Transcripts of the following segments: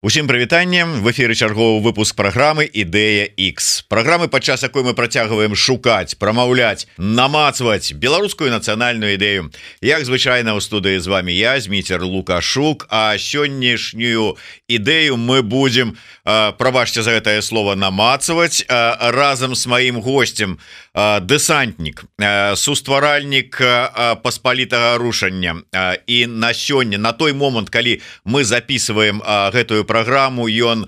Усім прывітаннем, в эфіры чарговы выпуск праграмы Ідэя X. Праграмы, падчас якой мы працягваем шукаць, прамаўляць, намацваць беларускую нацыянальную ідэю. Як звычайна ў студыі з вами я, Зміцер Лукашук, а сённяшнюю ідэю мы будзем, прабачце за гэтае слово, намацваць разам з маім гостем, дэсантнік, сустваральнік паспалітага рушання. І на сёння, на той момант, калі мы записываем гэтую программу, ён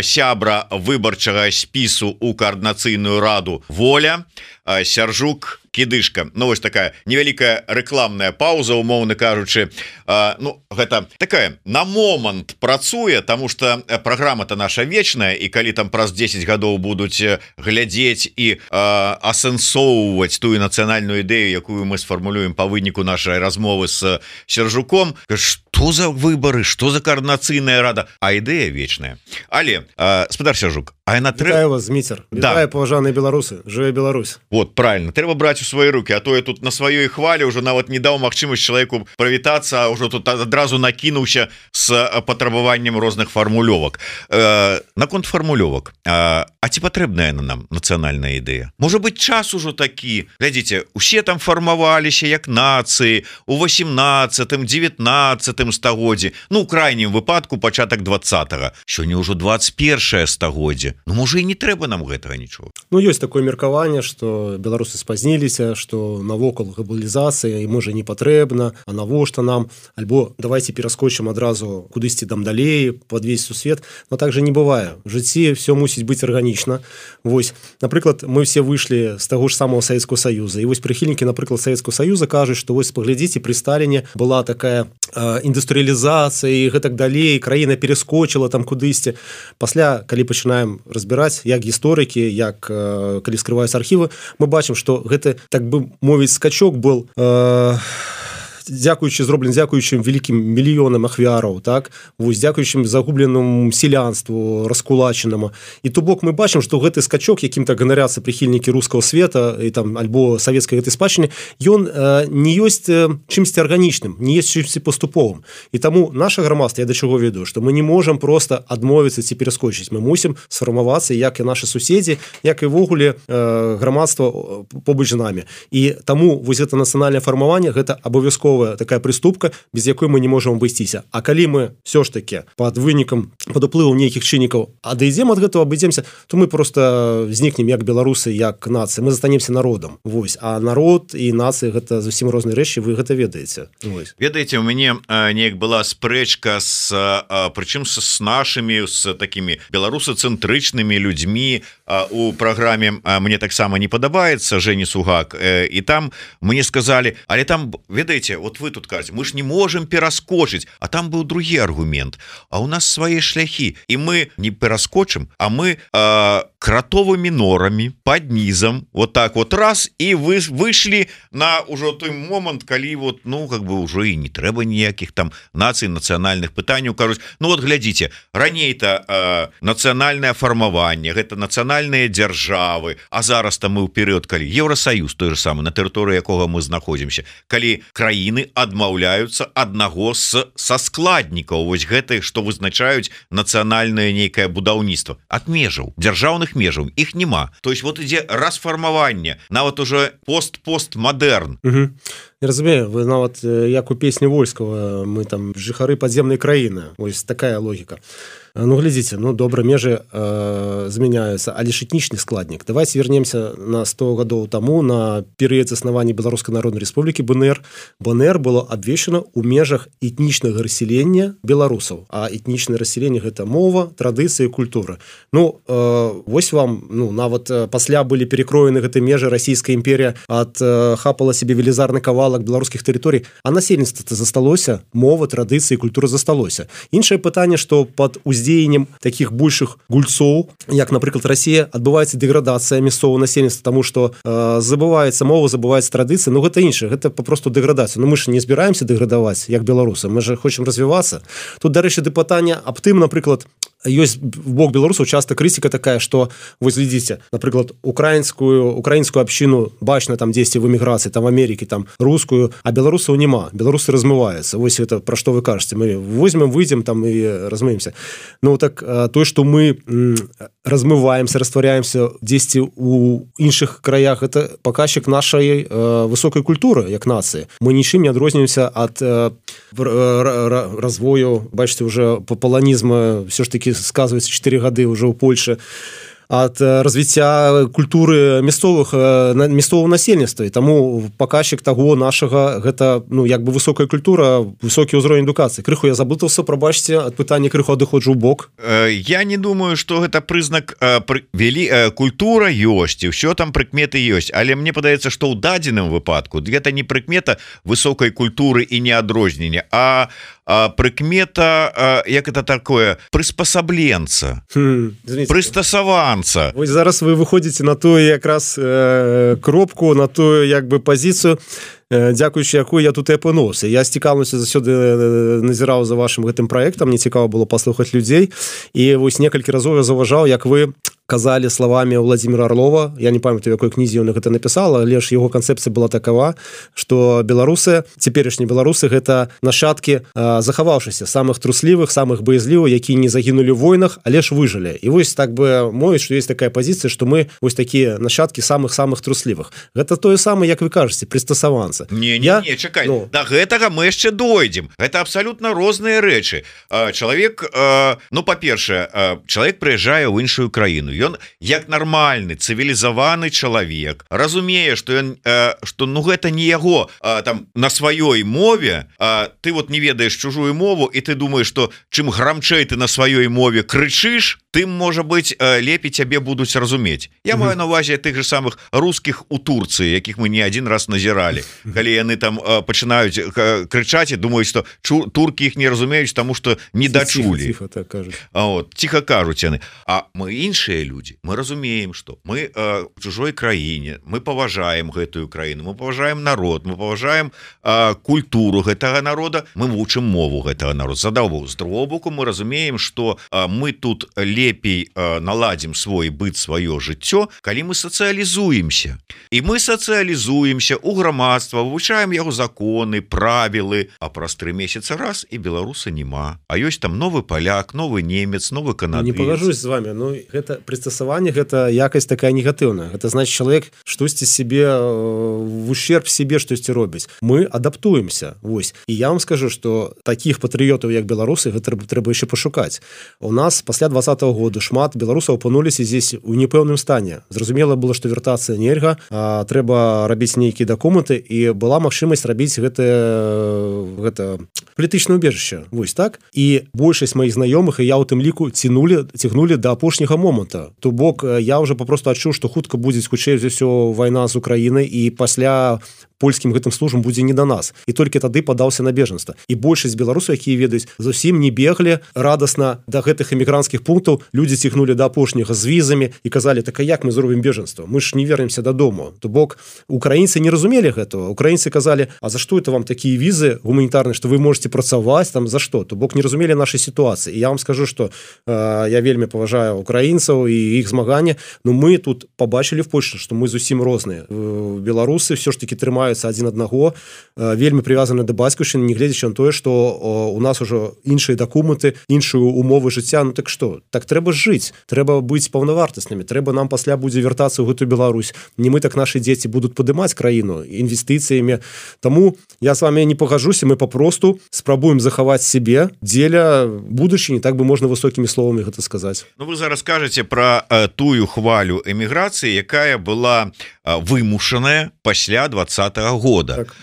сябра выбарчага спісу у координацыйную раду «Воля», Сяржук Кідышка. Ну вось такая невялікая рэкламная пауза, умоўна кажучы. Ну гэта такая на момант працуе, тому что праграма-то наша вечная, і калі там праз 10 гадоў будуць глядзець і асэнсоўваць тую нацыянальную ідэю, якую мы сфармулюем па выніку нашай размовы з Сяржуком, што за выбары, што за координацыйная рада, а ідэя вечная. Але спадар Сяржук, а яна Вітаю вас, Зміцер. Вітаю, паважаныя беларусы. Жыве Беларусь. Вот, правильно, трэба браць у свои руки, а то я тут на сваёй хвале уже нават не даў магчымасць чалавеку прывітацца, а ўжо тут адразу накінуўся з патрабаваннем розных фармулёвак. Наконт фармулёвак, а ці патрэбная яна нам нацыянальная ідэя? Можа быць, час ужо такі. Глядзіце, усе там фармаваліся як нацыі у 18-19 стагоддзі, ну у крайнім выпадку пачатак 20-го. Сёння ўжо 21 стагоддзе. Ну можа і не трэба нам гэтага нічога. Ну ёсць такое меркаванне, што беларусы спазніліся, што навокал глобалізацыя і можа не патрэбна, а навошта нам, альбо давайте пераскочым адразу кудысьці там далей пад весь сусвет. Но так же не бывае. В жыцці все мусіць быць арганічна. Вось, напрыклад, мы все выйшлі з таго ж самого Савецкого Саюза, і вось прыхільнікі, напрыклад, Савецкого Саюза кажуць, што вось паглядзіце, пры Сталіне была такая індустрыялізацыя і гэтак далей, краіна перескочыла там кудысьці. Пасля, калі пачынаем разбіраць, як гісторыкі, як калі скрываюцца архівы, мы бачым, што гэты, так бы мовіць, скачок был зроблены дзякуючым вялікім мільёнам ахвяраў, так? Вось, дзякуючым загубленому сялянству раскулачанаму. І то бок мы бачым, што гэты скачок, якім-то ганаряцца прыхільнікі рускага света і там альбо савецкай гэтай спадчыны, ён не ёсць чымсьці арганічным, не ёсць чымсьці паступовым. І таму наша грамадства, я да чаго веду, што мы не можам проста адмовіцца ці пераскочыць. Мы мусім сфармавацца, як і нашы суседзі, як і ввогуле грамадства побач з намі. І таму вось гэта нацыянальнае фармаванне, гэта абавязкова такая прыступка, без якой мы не можам абысціся. А калі мы все ж таки пад вынікам, пад уплывам нейкіх чыннікаў адыдзем ад гэтага, абыдземся, то мы просто знікнем як беларусы, як нацыя. Мы застанемся народам. Вось. А народ і нацыя гэта зусім розныя рэчы, вы гэта ведаеце. Вось. Ведаеце, у мяне неяк была спрэчка з прычым з нашымі, з такімі беларусацэнтрычнымі людзьмі у праграме «Мне таксама не падабаецца» Жені Сугак. І там мне сказалі, але там, ведаеце, вот вы тут кажете, мы ж не можем пераскочыць, а там быў другі аргумент, а у нас свае шляхі, і мы не пераскочым, а мы кратовымі норамі пад нізам вот так вот раз, і вы выйшлі на ўжо той момант, калі вот, ну как бы ўжо і не трэба ніякіх там нацый, нацыянальных пытанняў, кажуць, ну вот глядзіце, раней-то нацыянальнае фармаванне, гэта нацыянальныя дзяржавы, а зараз-то мы ў перыяд, калі Еўрасаюз той же самы, на тэрыторыі якога мы знаходзімся, калі краіны адмаўляюцца аднаго са складнікаў вось гэтых, што вызначаюць нацыянальнае нейкае будаўніцтва ад межаў, дзяржаўных межаў, іх няма. То есть вот ідзе расфармаванне, нават уже постмадэрн. Не разумею, вы нават як у песні Вольскага, мы там жыхары падземнай краіны, вось такая логіка. Ну, глядзіце, ну, добра, межы змяняюцца, але ж этнічны складнік. Давайте вернемся на 100 гадоў таму, на перыяд заснавання Беларускай Народнай Рэспублікі БНР. БНР было абвешчана ў межах этнічнага рассялення беларусаў. А этнічнае рассяленне – гэта мова, традыцыі, культура. Ну, вось вам, ну, нават пасля былі перекроены гэтыя межы, Расійская імперія адхапала себе велізарны кавалак беларускіх тэрыторый, а насельніцтва засталося, мова, традыцыі, культура засталося. Іншае пытанне, што пад уздзеяннем таких большых гульцоў, як, напрыклад, Расія, адбываецца дэградацыя мясцовага насельніцтва, таму што забываецца мова, забываецца традыцыя, ну гэта іншае, гэта папросту дэградацыя. Ну мы ж не збіраемся дэградаваць, як беларусы, мы же хочам развівацца. Тут, дарэчы, пытанне аб тым, напрыклад, ёсць бок беларусаў часто крытыка такая, што вось глядзіце, напрыклад, украінскую абшчыну бачна там дзесьці в эміграцыі, там в Америке, там рускую, а беларусаў няма, беларусы размываюцца. Вось это пра што вы кажаце, мы возьмем, выйдзем там і размыемся. Ну так тое, што мы размываемся, растваряемся дзесьці у іншых краях, это паказчык нашай высокай культуры як нацыі. Мы нічым не адрозніваемся ад развою, бачыце, уже паланізма все ж таки сказывается 4 гады уже ў Польше, ад развіцця культуры мясцового насельніцтва. І таму паказчык таго нашага гэта, ну, як бы высокая культура, высокі ўзровень адукацыі. Крыху я заблытаўся, прабачце, ад пытання крыху адыходжу ў бок. Я не думаю, што гэта прызнак культура ёсць, і ўсё там прыкметы ёсць, але мне падаецца, што ў дадзеным выпадку гэта не прыкмета высокай культуры і неадрознення, а прыкмета, як это такое, прыспасабленца, прыстасаванца. Вось зараз вы выходзіце на тую якраз кропку, на тую як бы пазіцыю, дзякуючы якой я тут і апынуўся. Я з цікаўнасцю заўсёды назіраў за вашым гэтым праектам, мне цікава было паслухаць людзей, і вось некалькі разоў я заўважаў, як вы казалі словамі Владимира Орлова, я не памятаю, якой кнізе ён гэта напісал, але ж яго канцэпцыя была такова, што беларусы, цяперашнія беларусы, гэта нашчадкі захаваўшыся, самых труслівых, самых баязлівых, якія не загінулі ў войнах, але ж выжылі. І вось так бы мовіць, што ёсць такая пазіцыя, што мы вось такія нашчадкі самых трусливых. Гэта тое самае, як вы кажаце, прыстасаванца. Не, чакай, да гэтага мы яшчэ дойдзем. Гэта абсалютна розныя рэчы. Чалавек, ну, па-першае, чалавек прыязджае ў іншую краіну. Ён як нармальны цывілізаваны чалавек разумее, што ён што ну гэта не яго там на сваёй мове, ты вот не ведаеш чужую мову і ты думаеш, што чым грамчэй ты на сваёй мове крычыш, тым, можа быць, лепей цябе будуць разумець. Я маю на ўвазе тых же самых рускіх у Турцыі, якіх мы не адзін раз назіралі, калі яны там пачынаюць крычаць і думаюць, што туркі іх не разумеюць, таму што не дачулі. Ціха кажуць яны. А мы іншыя люди, мы разумеем, что мы в чужой краіне, мы паважаем гэтую краіну, мы паважаем народ, мы паважаем культуру гэтага народа, мы вучым мову гэтага народа. З аднаго боку, з другого боку мы разумеем, что мы тут лепей наладзім свой быт, сваё жыццё, калі мы сацыялізуемся. І мы сацыялізуемся ў грамадства, вывучаем яго законы, правілы, а праз 3 месяцы раз і беларуса няма. А ёсць там новы паляк, новы немец, новы канадыец. Не пагажусь з вами, но гэта прыстасаванне, гэта якасць такая негатыўная. Гэта значит, чалавек штосьці себе в ущерб себе штосьці робіць. Мы адаптуемся. Вось. І я вам скажу, што такіх патрыётаў, як беларусы, гэта трэба яшчэ пашукаць. У нас пасля 20-го года шмат беларусаў апынуліся здесь у непэўным стане. Зразумела было, што вяртацца нельга, трэба рабіць нейкія дакументы, і была магчымасць рабіць гэта палітычнае ўбежышча. Вось так. І большасць маіх знаёмых, і я ў тым ліку цягнулі да апошняга моманта. То бок я уже папросту адчуў, што хутка будзе хутчэй за ўсё вайна з Украінай, і пасля польскім гэтым службам будзе не да нас. І толькі тады падаўся на бежанства. І большасць беларусаў, якія ведаюць, зусім не беглі радасна да гэтых эмігранцкіх пунктаў. Людзі цягнулі да апошняга з візамі і казалі, так а як мы зробім бежанства? Мы ж не вернемся дадому. То бок украінцы не разумелі гэтага. Украінцы казалі, а за што это вам такія візы гуманітарныя, што вы можете працаваць там, за што? То бок не разумелі нашай сітуацыі. І я вам скажу, што я вельмі паважаю украінцаў і іх змаганне, но мы тут побачылі в Польше, што мы зусім розныя. Беларусы все ж таки трымаюцца адзін аднаго, вельмі прывязаны да бацькаўшчыны, нягледзячы на тое, што у нас ужо іншыя дакументы, іншую умовы жыцця. Ну так што? Так трэба жыць, трэба быць паўнавартаснымі, трэба нам пасля будзе вяртацца ў гэтую Беларусь. Не мы, так нашы дзеці будуць падымаць краіну інвестыцыямі. Таму я з вами не пагажуся, мы папросту спрабуем захаваць сябе дзеля будучыні, так бы можна высокімі словамі гэта сказаць. Ну вы зараз кажаце пра тую хвалю эміграцыі, якая была вымушаная пасля 20-го года. Так.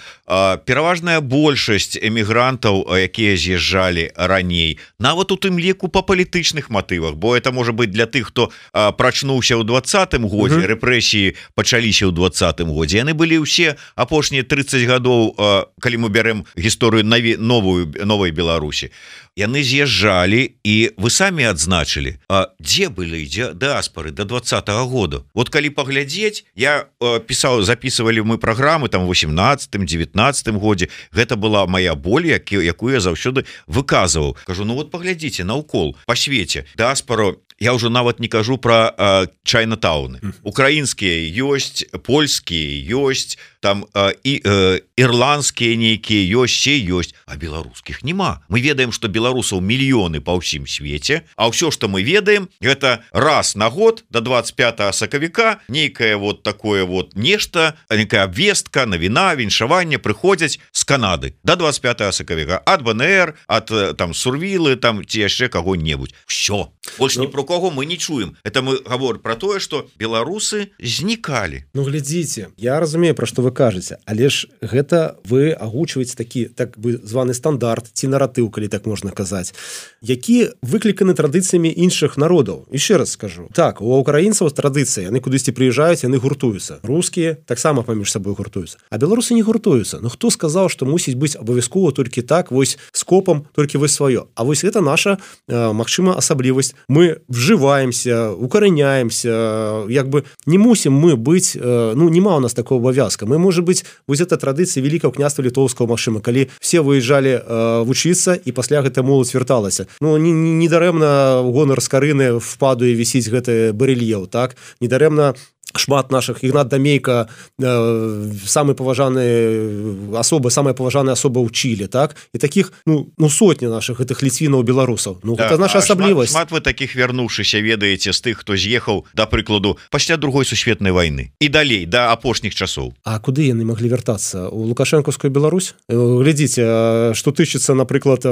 Пераважная большасць эмігрантаў, якія з'язджалі раней, нават у тым ліку па палітычных матывах, бо это можа быць для тых, хто прачнуўся ў 20-м годзе, рэпрэсіі пачаліся ў 20-м годзе. Яны былі ўсе апошнія 30 гадоў, калі мы бярем гісторыю новай Беларусі. Яны з'язджалі, і вы самі адзначылі, дзе былі дыаспары до 20-го года. Вот калі паглядзець, я записывалі мы праграмы там 18-м, 19 17 годзе гэта была моя боль, якую я заўсёды выказываў. Кажу, ну вот паглядзіце наўкол па свеце дыаспару. Я уже нават не кажу про чайнатауны. Украінскія ёсць, польскія ёсць, там ірландскія нейкія ёсць, а беларускіх няма. Мы ведаем, што беларусаў мільёны па ўсім свеце, а ўсё, што мы ведаем, гэта раз на год до 25 сакавіка нейкае вот такое вот нешта, некая абвестка, навіна, віншаванне прыходзяць з Канады до 25 сакавіка ад БНР, ад там Сурвілы, там ці яшчэ каго-небудзь. Всё. Больш ні про кого мы не чуем. Это мы говорим про тое, что беларусы знікалі. Ну глядзіце, я разумею, про што вы кажаце, але ж гэта вы агучваеце такі так бы званы стандарт ці наратыў, калі так можна казаць, які выкліканы традыцыямі іншых народаў. Яшчэ раз скажу. Так, у украінцаў традыцыя, яны кудысьці прыязджаюць, яны гуртуюцца. Рускія таксама паміж сабой гуртуюцца. А беларусы не гуртуюцца. Ну хто сказаў, што мусіць быць абавязкова толькі так, вось скопам, толькі вось сваё. А вось гэта наша, магчыма, асаблівасць. Мы вживаемся, укореняемся, як бы не мусим мы быть, ну, нема у нас такого обовязка. Мы, может быть, вот эта традиция Великого княства Литовского, машина, когда все выезжали вучиться, и после гэта молодь верталася. Ну, не дарэмна гонар Скарыны в Падуе висіць гэты барельеф, так? Не дарэмна шмат наших, Ігнат Дамейка, самые поважанные особы, самая поважаная особа ў Чилі, так? І таких, ну сотні наших гэтых ліцвінаў, беларусаў. Ну, да, гэта наша асаблівасць. Шмат вы таких вернувшыся ведаеце з тых, хто з'ехаў, да прыкладу, пасля другой сусветнай вайны. І далей, да апошніх часоў. А куды яны маглі вяртацца? У Лукашэнкаўскую Беларусь? Глядзіце, што тычыцца, напрыклад,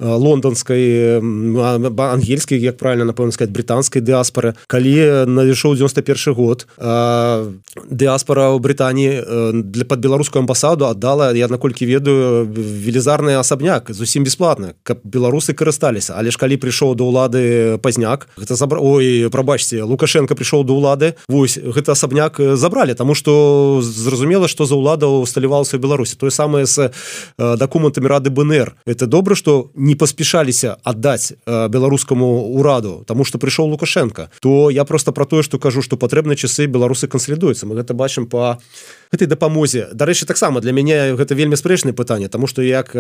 лонданскай, ангельскай, як правильно, напэўна сказаць, брытанскай дыаспары, калі надышоў 91 год, дыаспара ў Брытаніі под беларускую амбасаду аддала, я наколькі ведаю, велізарны асабняк зусім бясплатна, каб беларусы карысталіся. Але ж калі прыйшоў да ўлады Пазняк, гэта прабачце, Лукашенко прыйшоў да ўлады, вось гэты асабняк забралі, таму што зразумела, што за ўлада усталявалася ў Беларусі. Тое самае з дакументамі Рады БНР. Это добра, што не паспяшаліся аддаць беларускаму ўраду, таму што прыйшоў Лукашенко. То я просто про тое, што кажу, што патрэбна часы беларусы кансалідуюцца. Мы гэта бачым па гэтай дапамозе. Дарэчы, таксама для мяне гэта вельмі спрэчнае пытанне, таму што як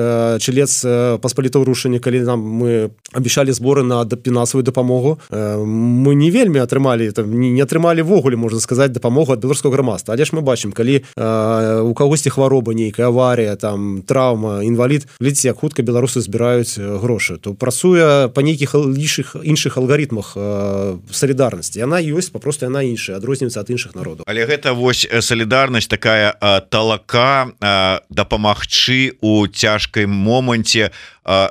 чылец паспалітаў рушэння, калі нам мы абяцалі зборы на фінансавую дапамогу, мы не вельмі атрымалі, не атрымалі ввогуле, можна сказаць, дапамогу ад беларускага грамадства. Але ж мы бачым, калі у кагосьці хвароба нейкая, аварія, там траўма, інвалід, глядзіце, як хутка беларусы збіраюць грошы. То працуе па нейкіх іншых алгарытмах салідарнасці. Яна ёсць, папросту яна іншая, адрозніваецца ад іншых народаў. Але гэта вось салідарнасць такая талака дапамагчы у цяжкай моманце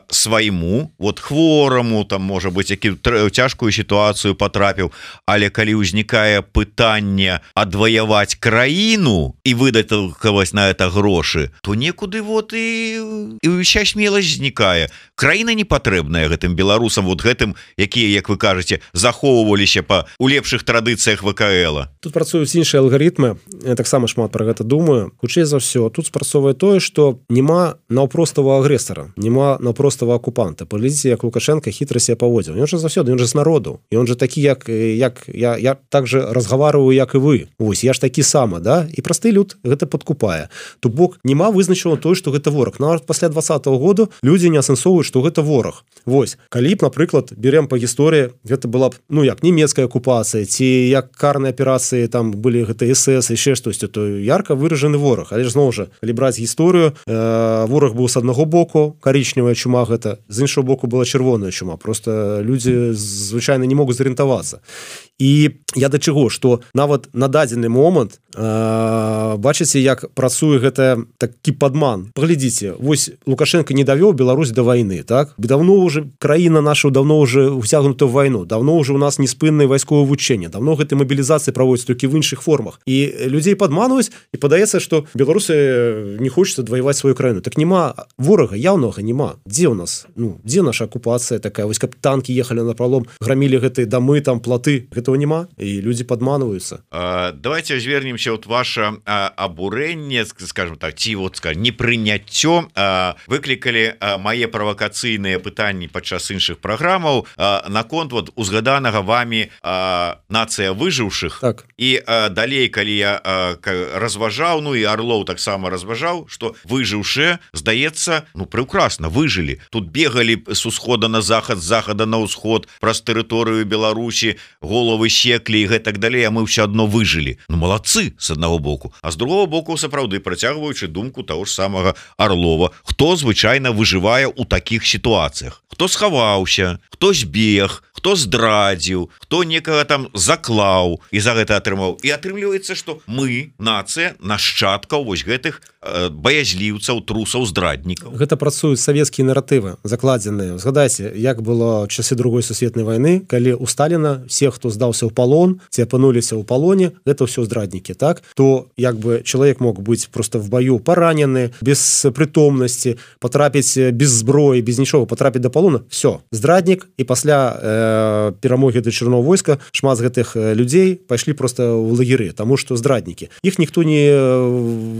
свайму, вот хвораму, там можа быць, які цяжкую сітуацыю патрапіў, але калі ўзнікае пытанне адваяваць краіну і выдатковаць на это грошы, то некуды вот і ўся смеласць знікае. Краіна не патрэбная гэтым беларусам, вот гэтым, якія, як вы кажаце, захоўваліся у лепшых традыцыях ВКЛ. Тут працуюць іншыя алгарытмы, я таксама шмат пра гэта думаю. Хутчэй за ўсё, тут спрацоўвае тое, што няма наўпростага агрэсара, няма наўпростага акупанта. Паглядзіце, як Лукашенко хітра себя паводзіў. Ён жа заўсёды, ён жа з народу. І он жа такі, як я так же разгаварваю, як і вы. Вось, я ж такі сама, да? І просты люд гэта падкупае. То бок няма вызначана тое, што гэта вораг. Нават пасля 20-го году людзі не асэнсоўваюць, што гэта вораг. Вось, калі б, напрыклад, берем па гісторыі, гэта была б, ну, як нямецкая акупацыя, ці як карныя аперацыі, там былі гэта СС, яшчэ штосьці, то ярка выражаны вораг. Але ж зноў жа, калі браць гісторыю, вораг быў з аднаго боку, карычневая чума гэта, з іншого боку была чырвоная чума. Просто людзі звычайна не могуць зарыентавацца. І я да чаго, што нават на дадзены момант бачыце, як працуе гэта такі падман. Паглядзіце, вось Лукашенко не давёў Беларусь да вайны, так? Давно уже краіна наша давно уже ўцягнута ў вайну, давно уже у нас неспыннае вайсковае вучэнне, давно гэтай мабілізацыі праводзяць толькі в іншых формах. І людзей падманваюць, і падаецца, што беларусы не хочуць адваяваць сваю краіну. Так няма ворага, яўнага няма. Дзе ў нас? Ну, дзе наша акупацыя такая? Вось каб танкі ехалі на пралом, грамілі гэтыя дамы, там платы. Гэта гэтага няма і людзі падманваюцца. Давайте звернемся от ваше абурэнне, скажем так, ці вот непрыняццё выклікалі мае правакацыйныя пытанні падчас іншых праграмаў наконт вот узгаданага вами нацыя выжыўшых. Так. І далей, калі я разважаў, ну і Орлоў таксама разважаў, што выжыўшыя, здаецца, ну прекрасна выжылі. Тут бегалі с усхода на захад, з захада на ўсход праз тэрыторыю Беларусі, головы секлі і гэтак далей, а мы ўсё адно выжылі. Ну малацы с аднаго боку, а з другого боку сапраўды працягваючы думку таго ж самага Орлова, хто звычайна выжывае ў такіх сітуацыях, хто схаваўся, хто збег, хто здрадзіў, хто некага там заклаў і за гэта атрымаў. І атрымліваецца, што мы нацыя нашчадкаў вось гэтых баязліўцаў, трусаў, здраднікаў. Гэта працуюць савецкія наратывы закладзеныя. Згадайце, як было часы другой сусветнай вайны, калі у Сталіна все, хто здаўся ў палон, ці апынуліся ў палоне, гэта ўсё здраднікі, так? То як бы чалавек мог быць просто в бою паранены, без прытомнасці, потрапіць без зброі, без нічога, потрапіць да палона, все, здраднік. І пасля перамогі да чырвонага войска шмат з гэтых людзей пайшлі просто ў лагеры, таму што здраднікі. Іх ніхто не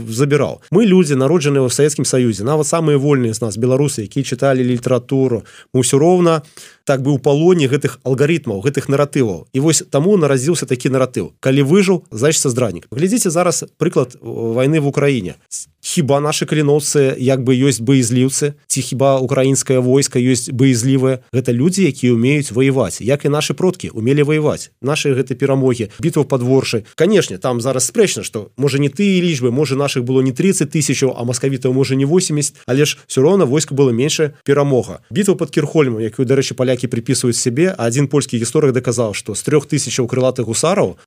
забіраў. Мы людзі, народжаныя ў Савецкім Саюзе, нават самыя вольныя з нас, беларусы, якія чыталі літаратуру, мы ўсё роўна так бы ў палоне гэтых алгарытмаў, гэтых наратываў. І вось таму нарадзіўся такі наратыў. Калі выжыў, значыцца здраднік. Глядзіце зараз прыклад вайны в Украіне. Хіба нашы каліноўцы як бы ёсць боязліўцы, ці хіба украінскае войска ёсць боязлівае? Гэта людзі, якія умеюць ваяваць, як і нашы продкі умелі ваяваць. Нашы гэты перамогі, бітва пад Воршай. Канешне, там зараз спрэчна, што можа не тыя лічбы, можа нашых было не 30 000, а маскавітаў можа не 80, але ж все роўна войска было меншая перамога. Бітва пад Кірхольмом, якую, дарэчы, палякі приписываюць сябе, а адзін польскі гісторык даказаў, што з 3000 крылатых гусараў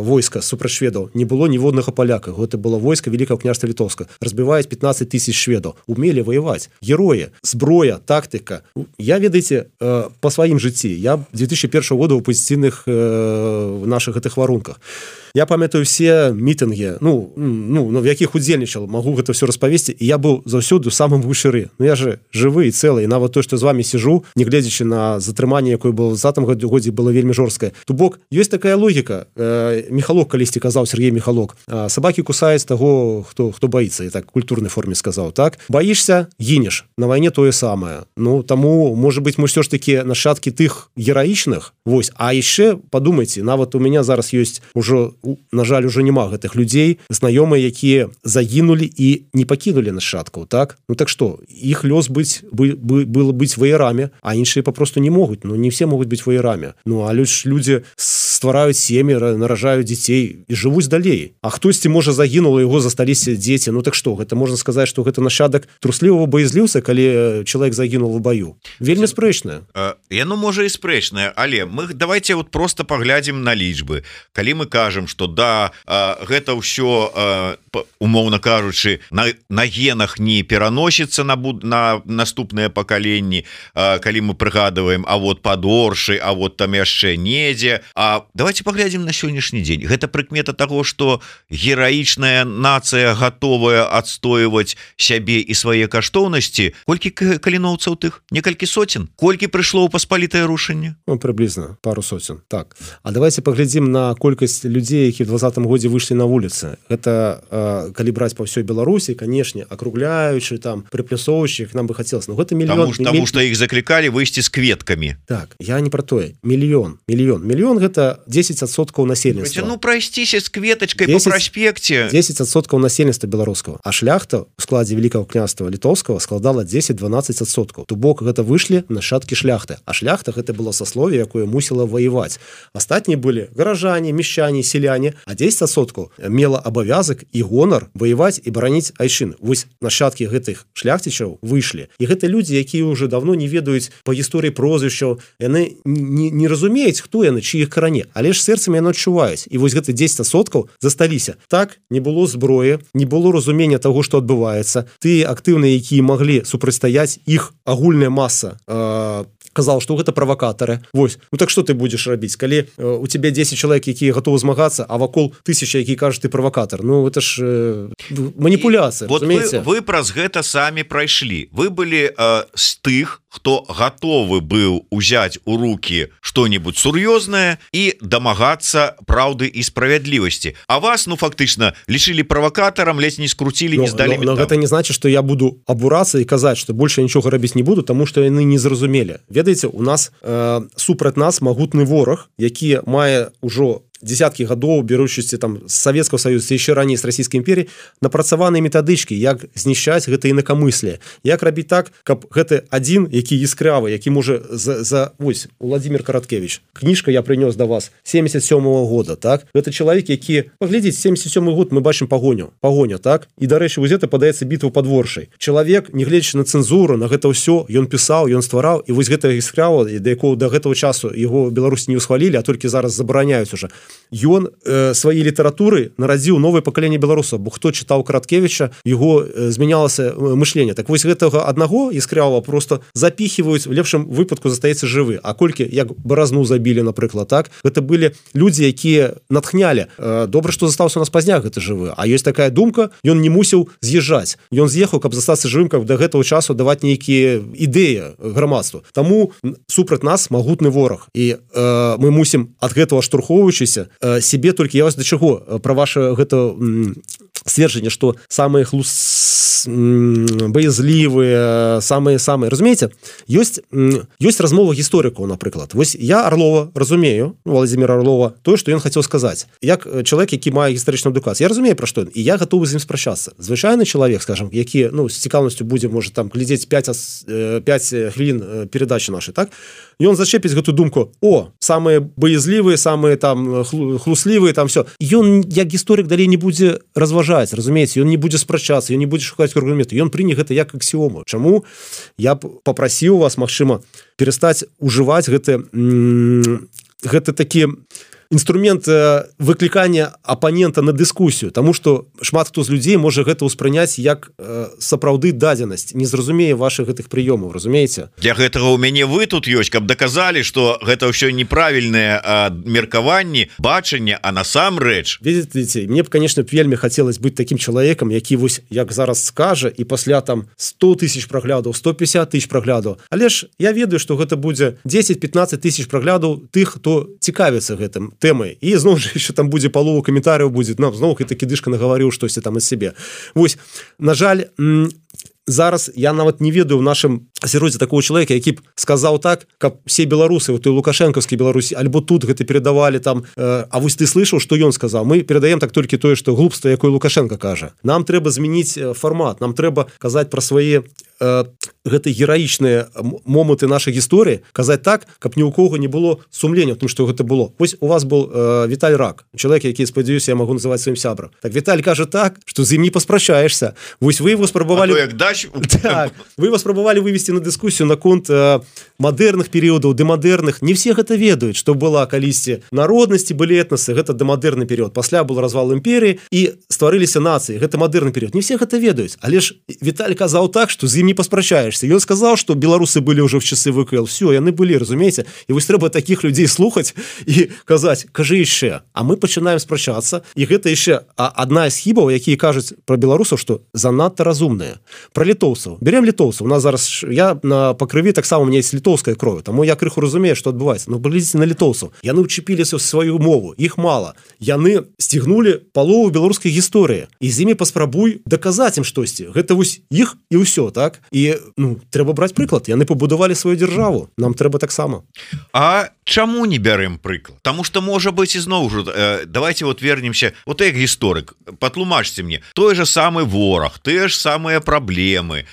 войска супраць шведаў не было ніводнага паляка. Гэта было войска Великого княжества Літоўска. Разбіваюць 15 000 шведаў. Умелі ваяваць. Героі, зброя, тактыка. Я, ведаеце, па сваім жыцці. Я 2001 года ў пазіцыйных наших гэтых варунках. Я памятаю все мітынгі, в якіх удзельнічал, магу гэта все распавесці, і я быў заўсёды самым вышыры. Ну я же жывы і цэлы, і нават то, што з вами сижу, не гледзячы на затрыманне, якое было в 2020 годзе, было вельмі жорсткае. То бок, ёсць такая логіка. Михалок калісьці казаў, Сергей Михалок, сабакі кусаюць таго, хто баіцца, і так культурнай форме сказаў, так? Баішся, гінеш. На вайне тое самае. Ну, таму, можа быць, мы ўсё ж такі нашчадкі тых гераічных. Вось, а яшчэ падумайце, нават у мяне зараз ёсць ужо, на жаль, уже няма гэтых людзей, знаёмыя, якія загінулі і не пакінулі нашчадкаў, так? Ну так што, іх лёс было быць ваярамі, а іншыя папросту не могуць. Ну не все могуць быць ваярамі. Ну але ж людзі ствараюць сем'і, наражаюць дзяцей і жывуць далей. А хтосьці можа загінуў, яго засталіся дзеці. Ну так што, гэта можна сказаць, што гэта нашчадак труслівага баязліўца, калі чалавек загінуў у баю. Вельмі спрэчнае. Яно можа і спрэчнае, але мы давайте вот просто паглядзім на лічбы. Калі мы кажам, што да, гэта ўсё, умоўна кажучы, на генах не пераносіцца на наступныя пакаленні, калі мы прыгадваем, а вот пад Оршай, а вот там яшчэ недзе. А давайте паглядзім на сённяшні дзень. Гэта прыкмета таго, што гераічная нацыя гатовая адстойваць сябе і свае каштоўнасці. Колькі каліноўцаў тых? Некалькі соцен? Колькі прыйшло ў паспалітае рушэнне? Ну, прыблізна пару соцен. Так. А давайте паглядзім на колькасць людзей, які в 2020 годзе выйшлі на вуліцы. Гэта калі браць па ўсёй Беларусі, канешне, акругляючы, там, прыплясоўваючы, нам бы хацелася. Ну, гэта мільён. Таму што іх заклікалі выйсці з кветкамі. Так, я не пра тое. Мільён. Мільён гэта 10% насельніцтва. Ну, прайсціся з кветачкай па праспекце. 10% насельніцтва беларускага. А шляхта ў складзе Великого княжества Літоўскага складала 10-12%. То бок гэта выйшлі нашчадкі шляхты. А шляхта гэта было саслове, якое мусіла ваяваць. Астатнія былі гаражане, мещане, селяне, а 10% мела абавязак і гонар ваяваць і бараніць айчыны. Вось нашчадкі гэтых шляхцічаў выйшлі. І гэта людзі, якія ўжо давно не ведаюць па гісторыі прозвішчаў, яны не разумеюць, хто яны, чыіх каране, але ж сэрцамі яны адчуваюць. І вось гэты 10% засталіся. Так, не было зброі, не было разумення таго, што адбываецца. Тыя актыўныя, якія маглі супрацьстаяць, іх агульная маса казал, што гэта правакатары. Вось. Ну так што ты будзеш рабіць, калі у тебе 10 чалавек, якія гатовы змагацца, а вакол 1000, які кажуць, ты правакатар. Ну это ж маніпуляцыя, вот разумееце? Вы праз гэта самі прайшлі. Вы былі з тых, хто готовы быў узять у руки что-нибудь сур'ёзнае і дамагацца праўды і справядлівасці. А вас, ну, фактычна лічылі правакатарам, ледзь не скруцілі, не здалі. Но гэта не значит, что я буду абурацца і казаць, что больше нічога рабіць не буду, тому что яны не зразумелі. Ведаеце, у нас супраць нас магутны вораг, які мае ўжо десяткі гадоў, беручысці там з Савецкага Саюза, яшчэ раней з Расійскай імперіі, напрацаваныя метадычкі, як знішчаць гэта інакамысле, як рабіць так, каб гэты адзін, які іскравы, які можа вось, Владимир Караткевич, кніжка я прынёс да вас 77-го года, так? Гэта чалавек, які, паглядзіць, 77-й год мы бачым пагоня, так? І, дарэчы, вось гэта падаецца бітва пад Воршай. Чалавек, не гледзячы на цэнзуру, на гэта ўсё, ён пісаў, ён ствараў, і вось гэта іскрава, да якого да гэтага часу яго Беларусі не ўсхвалілі, а толькі зараз забараняюць уже. Ён сваёй літаратуры нарадзіў новае пакаленне беларусаў, бо хто чытаў Караткевіча, яго змянялася мышленне. Так вось гэтага аднаго іскравого просто запіхиваюць, в лепшым выпадку застаецца жывы. А колькі, як Баразну забілі, напрыклад, так? Гэта былі людзі, якія натхнялі. Добра, што застаўся у нас пазняк гэты жывы. А ёсць такая думка, ён не мусіў з'язджаць. Ён з'ехаў, каб застацца жывым, каб да гэтага часу даваць нейкія ідэі грамадству. Таму супраць нас магутны вораг. І мы мусім ад гэтага штурхоўваючыся себе толькі, я вас да чаго пра ваше гэта сцверджанне, што самыя баязлівыя, самыя, разумееце, ёсць размова гісторыкаў, напрыклад. Вось я Орлова разумею, Владимира Орлова, тое, што ён хацеў сказаць. Як чалавек, які мае гістарычную адукацыю, я разумею, пра што ён, і я гатовы з ім спрачацца. Звычайны чалавек, скажам, які, ну, з цікаўнасцю будзе, можа, там глядзець 5 хвілін перадачы нашай, так? Ён зачэпіць гэту думку: о, самыя баязлівыя, самыя там хлуслівыя, там все. Ён, як гісторык, далей не будзе разважаць, разумееце, ён не будзе спрачацца, ён не будзе шукаць аргументы, ён прыне гэта як аксіому. Чаму я б попрасіў вас, магчыма, перастаць ужываць гэты такі інструмент выклікання апанента на дыскусію, таму што шмат хто з людзей можа гэта ўспрыняць як сапраўды дадзенасць, не зразумее вашых гэтых прыёмаў, разумееце? Для гэтага ў мяне вы тут ёсць, каб даказалі, што гэта ўсё неправільныя меркаванні, бачанне, а насамрэч. Ведаеце, мне б, конечно, вельмі хацелось быць такім чалавекам, які вось як зараз скажа, і пасля там 100 000 праглядаў, 150 000 праглядаў. Але ж я ведаю, што гэта будзе 10-15 000 праглядаў тых, хто цікавіцца гэтым тэмай. І зноў жа яшчэ там будзе палова каментарыяў будзе, ну, зноў такі дышка нагаварыў штосьці там из сябе. Вось, на жаль, зараз я нават не ведаю в нашым асяроддзі такого чалавека, які б сказаў так, каб все беларусы у той лукашэнкаўскай Беларусі альбо тут гэта перадавалі там, а вось ты слышаў, што ён сказаў? Мы перадаем так толькі тое, што глупства, якое Лукашенко кажа. Нам трэба змяніць фармат, нам трэба казаць пра свае гэты гераічныя моманты нашай гісторыі, казаць так, каб ні ў кого не было сумлення, тому што гэта было. Вось у вас был Віталь Рак, чалавек, які, спадзяюся, я магу называць сваім сябрам. Так Віталь кажа так, што з ім не паспрачаешся. Вось вы его спрабавалі... Так, вы его спрабавалі вывесці на дыскусію наконт мадэрных перыядаў, дэмадэрных. Не все гэта ведаюць, што была калісьці народнасці, былі этнасы, гэта дэмадэрны перыяд. Пасля был развал імперіі і стварыліся нацыі. Гэта мадэрны перыяд. Не все гэта ведаюць. Але ж Віталь казаў так, што з ім не паспрачаешься. Ён сказаў, што беларусы былі ўжо в часы ВКЛ. Все, яны былі, разумееце? І вось трэба такіх людзей слухаць і казаць: кажы яшчэ. А мы пачынаем спрачацца, і гэта яшчэ адна з хібаў, якія кажуць пра беларусаў, што занадта разумныя. Пра літоўцаў. Берем літоўцаў. У нас зараз я на пакрыві таксама у меня есть літоўская кроў, таму я крыху разумею, што адбываецца. Ну, глядзіце на літоўцаў. Яны ўчапіліся ў сваю мову, іх мала. Яны сцігнулі палову беларускай гісторыі. І з імі паспрабуй даказаць ім штосьці. Гэта вось іх і ўсё, так? І, ну, трэба браць прыклад. Яны пабудавалі сваю дзяржаву. Нам трэба таксама. А чаму не бярем прыклад? Таму што, можа быць, ізноў жа, давайте вот вернемся, вот як гісторык, патлумачце мне, той же самы вораг, тыя ж самыя праблемы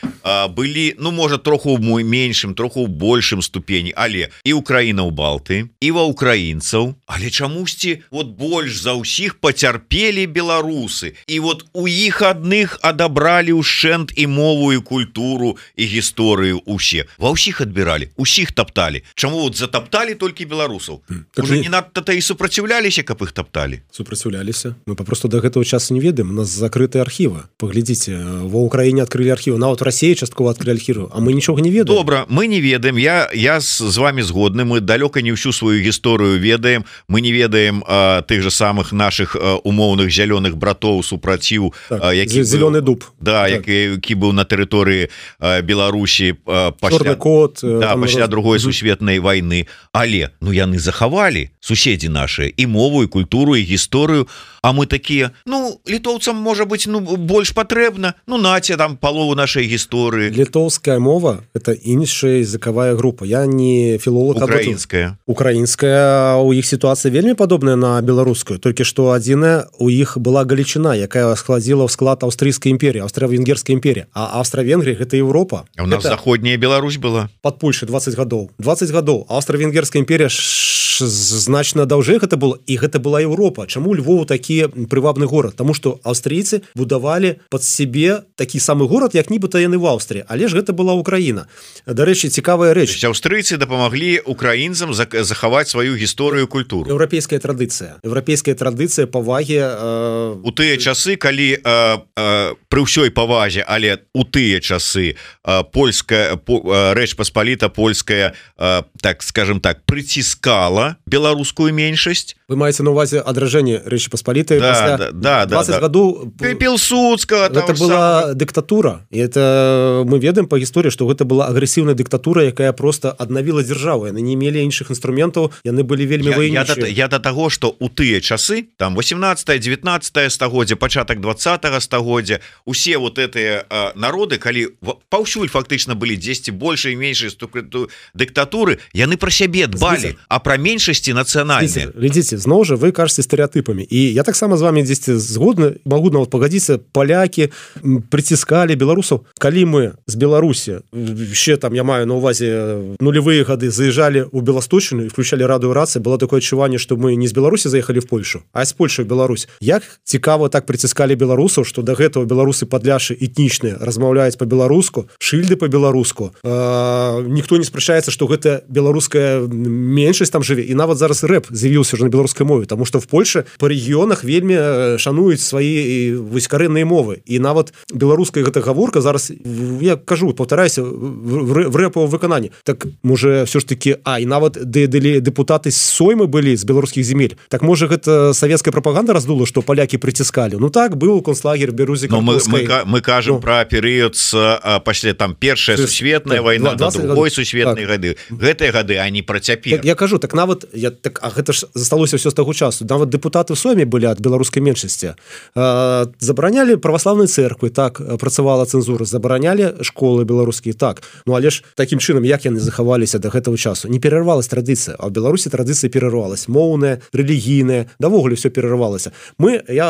былі, ну, можа, троху ў меншым, троху ў большым ступені, але і Украіна ў Балты, і ва украінцаў, але чамусьці вот больш за ўсіх пацярпелі беларусы, і вот у іх адных адабралі ўшчэнт і мову, і культуру, і гісторыю усе. Ва ўсіх адбіралі, усіх тапталі. Чаму вот затапталі толькі і беларусаў Так уже не надта-то і супраціўляліся, каб іх тапталі. Супраціўляліся. Мы папросту до гэтага часу не ведаем. У нас закрытыя архівы. Паглядзіце, ва ўкраіне адкрылі архівы, нават у Расіі часткова адкрылі архівы, а мы нічога не ведаем. Добра, мы не ведаем. Я з вами згодны, мы далёка не ўсю сваю гісторыю ведаем. Мы не ведаем тых же самых наших умоўных зялёных братоў супраціў, зялёны дуб. Да, які быў на тэрыторыі Беларусі Чорны кот, пасля другой сусветнай вайны. Але яны захавалі, суседзі нашыя, і мову, і культуру, і гісторыю. А мы такія, літоўцам можа быць больш патрэбна, наце там палову нашай гісторыі. Літоўская мова это іншая языковая група. Я не філолог. Украінская, у іх сітуацыя вельмі падобная на беларускую, толькі што адзіная у іх была Галічына, якая складзіла ў склад аўстрыйскай імперіі, аўстра-венгерскай імперіі, а Аўстра-Венгрія гэта Еўропа. А у нас заходняя Беларусь была пад Польшай 20 гадоў. Аўстра-венгерская імперія значна даўжэй гэта было, і гэта была Еўропа. Чаму Львов такі прывабны горад? Таму што аўстрыйцы будавалі пад сябе такі самы горад, як нібыта яны в Аўстрыі, але ж гэта была Украіна. Дарэчы, цікавая рэч. Аўстрыйцы дапамаглі украінцам захаваць сваю гісторыю, культуру. Еўрапейская традыцыя павагі у тыя часы, калі пры ўсёй павазе, але у тыя часы польская Рэч Паспаліта польская, так скажем так, прыціскала беларускую меншасць. Вы маеце на увазе адражэнне Рэчы Паспалітай пасля 20 гадоў Пілсудскага. Гэта была дыктатура, і это мы ведаем па гісторыі, што гэта была агрэсіўная дыктатура, якая просто аднавіла дзяржаву. Яны не мелі іншых інструментаў, яны былі вельмі войнічыя. Я да таго, што у тыя часы, там 18-19 стагоддзя, пачатак 20 стагоддзя, усе вот гэтыя народы, калі паўсюль фактычна былі дзесьці большай і меншай дыктатуры, яны пра сябе дбалі, а пра меншасці нацыянальныя. Глядзіце, зноў жа вы кажаце стэрэатыпамі. І я таксама з вами дзесьці згодны, магу нават пагадзіцца, палякі прыціскалі беларусаў. Калі мы з Беларусі, ще там я маю на увазе нулевыя гады, заезжалі ў Беласточыну і включалі радыёрацыю, было такое адчуванне, што мы не з Беларусі заехалі в Польшу, а з Польшы в Беларусь. Як цікава так прыціскалі беларусаў, што да гэтага беларусы падляшы этнічныя размаўляюць па-беларуску, шыльды па-беларуску. Ніхто не спрачаецца, што гэта беларуская меншасць там жыве. І нават зараз рэп з'явіўся уже на беларускай мове, таму што в Польше па рэгіёнах вельмі шануюць свае карэнныя мовы. І нават беларуская гэта гаворка зараз, я кажу, паўтараюся, в рэпавым выкананні. Так можа все ж таки, і нават дэпутаты з Соймы былі з беларускіх земель. Так можа гэта савецкая прапаганда раздула, што палякі прыціскалі. Так, быў концлагер Берузе Карповскай. Мы кажам пра перыяд пасля там першая сусветная вайна, да другой сусветнай гады. Гэтыя гады, а не пра цяпер. Я кажу, так нават гэта ж засталося ўсё з таго часу. Нават дэпутаты в Сойме былі ад беларускай меншасці. Забаранялі праваслаўнай цэрквы, так, працавала цэнзура, забаранялі школы беларускія, так. Але ж такім чынам, як яны захаваліся да гэтага часу? Не перарвалась традыцыя, а ў Беларусі традыцыя перарвалась. Моўная, рэлігійная, давогуле ўсё перарвалася. Я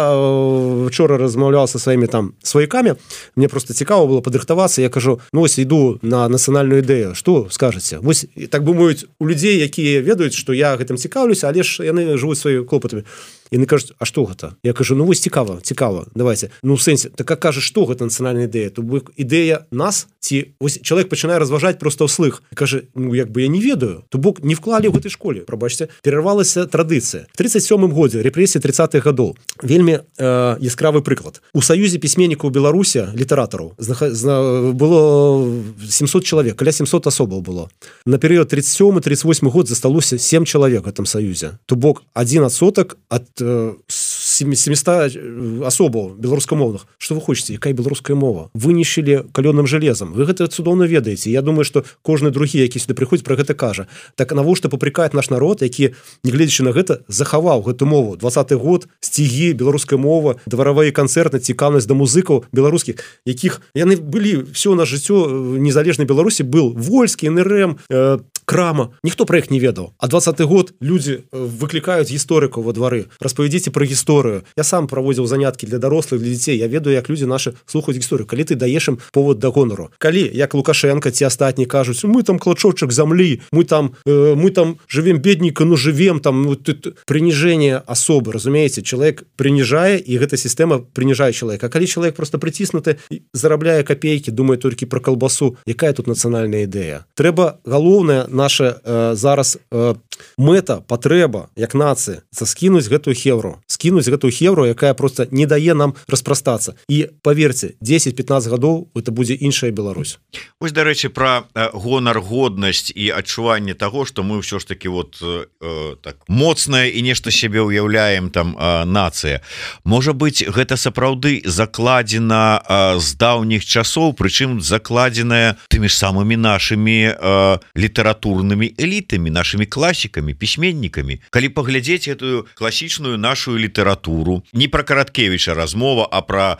вчора размаўляў са сваімі там сваякамі, мне просто цікава было падрыхтавацца, я кажу, вось іду на нацыянальную ідэю, што скажаце? Вось, так думаюць, у людзей, якія ведаюць, што я гэтым цікаўлюся, але ж яны жывуць сваімі клопатамі. Яны кажуць, а што гэта? Я кажу, вось цікава, давайте. В сэнсе, так как кажа, што гэта нацыянальная ідэя? То бок ідэя нас, ці вось чалавек пачынае разважаць проста ўслых. Кажа, як бы я не ведаю, то бок не вклалі ў гэтай школе. Прабачце, перарвалася традыцыя. В 37-м годзе, рэпрэсіі 30-х гадоў. Вельмі яскравы прыклад. У Саюзе пісьменнікаў Беларусі, літаратараў, было 700 чалавек, каля 700 асобаў было. На перыяд 37-38 год засталося 7 чалавек в гэтым Саюзе. То бок 1% ад 700 асобаў беларускамоўных. Што вы хочаце, якая беларуская мова? Вынішылі калёным жалезам. Вы гэта цудоўна ведаеце. Я думаю, што кожны другі, які сюды прыходзіць, пра гэта кажа. Так навошта папракаць наш народ, які, нягледзячы на гэта, захаваў гэту мову. 20-й год, сцігі, беларуская мова, дваравыя канцэрты, цікаўнасць да музыкаў беларускіх, якіх яны былі всё на жыццё незалежнай Беларусі был Вольскі, НРМ, Крама. Ніхто пра іх не ведаў. А 20-й год людзі выклікаюць гісторыкаў во двары. Распавядзіце пра гісторыю. Я сам праводзіў заняткі для дарослых, для дзяцей. Я ведаю, як людзі нашы слухаюць гісторыю. Калі ты даеш ім повод да гонару. Калі, як Лукашенко, ці астатні кажуць, мы там клочочак зямлі, мы там жывем бедненько, жывем там, прыніжэнне асобы, разумееце? Чалавек прыніжае, і гэта сістэма прыніжае чалавека. А калі чалавек просто прыціснуты, зарабляе капейкі, думае толькі пра калбасу, якая тут нацыянальная ідэя? Трэба галоўнае наша зараз мэта, патрэба як нацыя скінуць гэтую хевру, якая просто не дае нам распрастацца. І паверце, 10-15 гадоў это будзе іншая Беларусь. Вось, дарэчы, пра гонар, годнасць і адчуванне таго, што мы ўсё ж таки так моцная і нешта сябе ўяўляем там нацыя. Можа быць, гэта сапраўды закладзена з даўніх часоў, прычым закладзеная тымі ж самымі нашымі літаратурнымі элітамі, нашымі класікамі, пісьменнікамі. Калі паглядзець гэтую класічную нашу літаратуру, не пра Караткевіча размова, а пра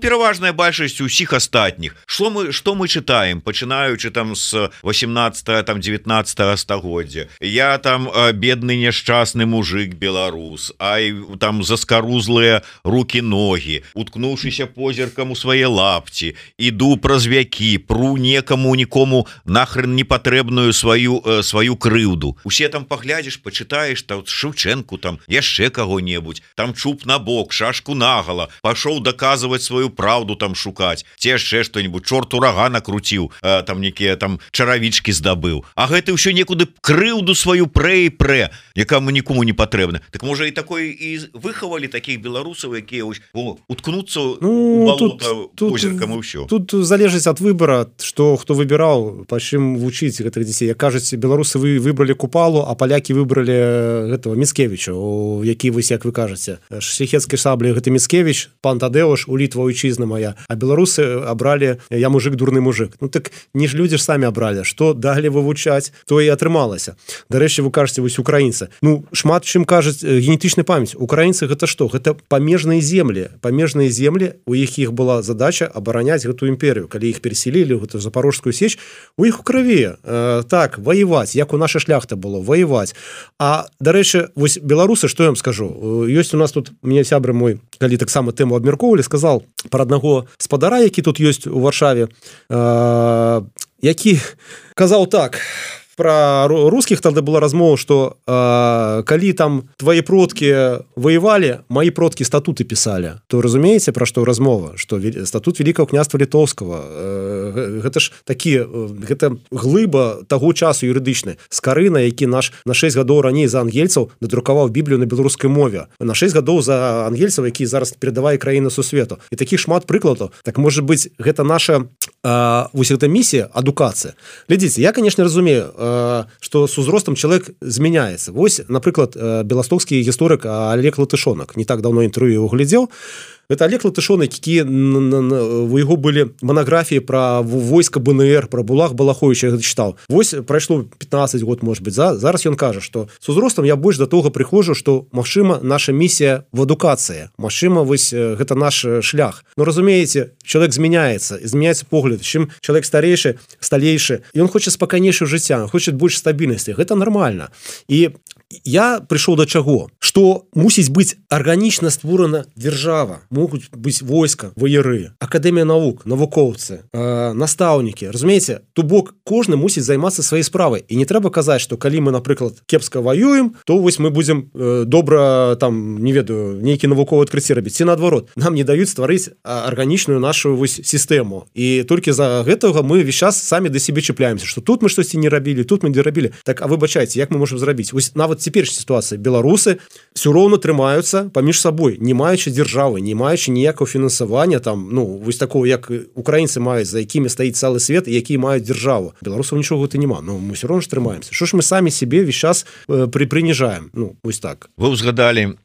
пераважная большасць усіх астатніх. Што мы чытаем, пачынаючы там з 18-19 стагоддзя. Я там бедны няшчасны мужик беларус, ай там заскарузлыя рукі-ногі, уткнуўшыся позіркам у свае лапці, іду праз вякі, пру нікому нахрен непатрэбную сваю крыўду. Усе там паглядзіш, пачытаеш там Шевченку, там яшчэ каго-небудзь, там чуб на бок, шашку нагала, пашоў даказваць сваю праўду там шукаць, ці яшчэ што-нибудь, чорт урага накруціў, там некія там чаравічкі здабыў. А гэты ўсё некуды крыўду сваю прэ, якаму нікому не патрэбна. Так можа і такое і выхавалі такіх беларусаў, якія уткнуцца у балота позіркам і ўсё. Тут залежыць ад выбара, што хто выбіраў, па чым вучыць гэтых дзяцей. Як кажуць, беларусы выбралі Купалу, а палякі выбралі гэтого Міцкевіча, які вось, як вы кажаце, шляхецкай шаблі гэта Міцкевіч, пан Тадеуш, у Літва ойчызна моя, а беларусы абралі я мужик, дурны мужик. Ну так не ж людзі ж самі абралі, што далі вывучаць, то і атрымалася. Дарэчы, вы кажаце, вось украінцы. Шмат чым кажуць генетычная памяць. Украінцы гэта што? Гэта памежныя землі, у якіх была задача абараняць гэтую імперію. Калі іх переселілі ў гэтую Запорожскую сеч, у іх у крыві так ваяваць, як у наша шляхта было ваяваць. А дарэчы, вось беларусы, што я вам скажу, ёсць у нас тут, мне сябры мой, калі таксама тэму абмяркоўвалі, сказал пра аднаго спадара, які тут ёсць у Варшаве, які казаў так про русских, тады была размова, што калі там твои продкі воевали, мои продкі статуты писали, то разумееце, пра што размова, што статут Великого княства Літоўскага, гэта ж гэта глыба таго часу юрыдычны, Скарына, які на 6 гадоў раней за ангельцаў надрукаваў Біблію на беларускай мове, на 6 гадоў за ангельцаў, які зараз перадавае краіны сусвету. І такіх шмат прыкладаў. Так может быть, гэта наша вось эта місія адукацыя. Глядзіце, я, конечно, разумею, што з узростам чалавек змяняецца. Вось, напрыклад, беластоцкі гісторык Олег Латышонак, не так давно інтэрв'ю его глядзеў. Это Олег Латышонак, які у яго былі манаграфіі пра войска БНР, пра Булах Балаховича, я чытаў. Вось прайшло 15 год, может быть, зараз ён кажа, што з узростам я больш да того прыходжу, што, магчыма, наша місія в адукацыі. Магчыма, вось гэта наш шлях. Но разумееце, чалавек змяняецца погляд. Чым чалавек старейшы, сталейшы, і ён хоча спакайнейшае жыцця, хоча больш стабільнасці. Гэта нармальна. І я прыйшоў да чаго? Што мусіць быць арганічна створана дзяржава. Могуць быць войска, ваяры, акадэмія навук, навукоўцы, настаўнікі. Разумееце, то бок кожны мусіць займацца сваёй справай. І не трэба казаць, што калі мы, напрыклад, кепска воюем, то вось мы будзем добра, там, не ведаю, нейкі навуковы адкрыцці рабіць. Ці наадварот, нам не даюць стварыць арганічную нашу вось сістэму. І толькі за гэтага мы весь час самі да сябе чапляемся, што тут мы штосьці не рабілі, тут мы не рабілі. Так, а выбачайце, як мы можам зрабіць? Вось нават цяперашняя сітуацыя. Беларусы ўсё роўна трымаюцца паміж сабой, не маючы дзяржавы, не маючы ніякого фінансавання, там, вось такого, як украінцы маюць, за якімі стаіць цэлы свет, і якія маюць дзяржаву. Беларусаў нічога гэта няма. Мы ўсё роўна ж трымаемся. Што ж мы самі сябе весь час прыніжаем? Вось так. Вы ўзгадалі